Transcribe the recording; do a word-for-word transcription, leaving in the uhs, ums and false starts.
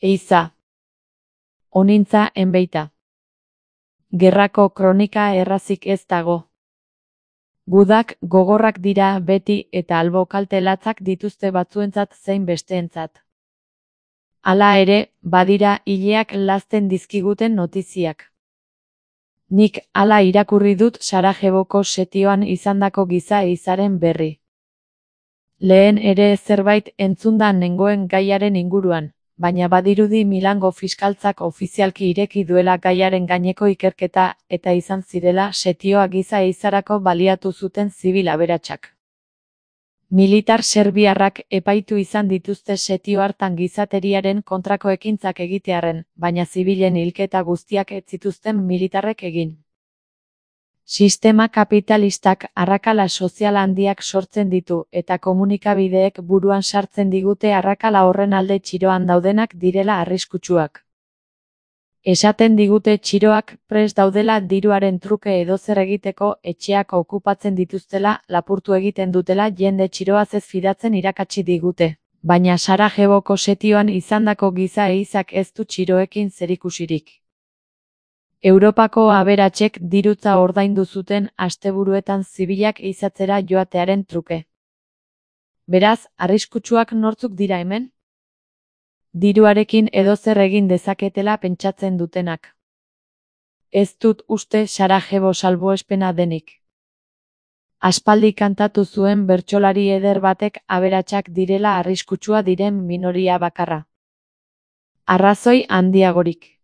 Eiza. Onintza enbeita. Gerrako kronika errazik ez dago. Gudak gogorrak dira beti eta albo kalte latzak dituzte batzuentzat zein besteentzat. Hala ere, badira ileak lazten dizkiguten notiziak. Nik hala irakurri dut Sarajevoko setioan izandako giza ehizaren berri. Lehen ere zerbait entzunda nengoen gaiaren inguruan, baina badirudi Milango fiskaltzak ofizialki ireki duela gaiaren gaineko ikerketa eta izan zirela setioa giza ehizarako baliatu zuten zibil aberatsak. Militar serbiarrak epaitu izan dituzte setio hartan gizateriaren kontrako ekintzak egitearren, baina zibilen hilketa guztiak ez zituzten militarrek egin. Sistema kapitalistak arrakala sozial handiak sortzen ditu eta komunikabideek buruan sartzen digute arrakala horren alde txiroan daudenak direla arriskutsuak. Esaten digute txiroak prest daudela diruaren truke edozer egiteko, etxeak okupatzen dituztela, lapurtu egiten dutela jende txiroaz ez fidatzen irakatsi digute. Baina Sarajevoko setioan izandako giza ehizak ez du txiroekin zerikusirik. Europako aberatsek dirutza ordaindu zuten asteburuetan zibilak ehizatzera joatearen truke. Beraz, arriskutsuak nortzuk dira hemen? Diruarekin edozer egin dezaketela pentsatzen dutenak. Ez dut uste Sarajevo salbuespena denik. Aspaldi kantatu zuen bertsolari eder batek aberatsak direla arriskutsua diren minoria bakarra. Arrazoi handiagorik.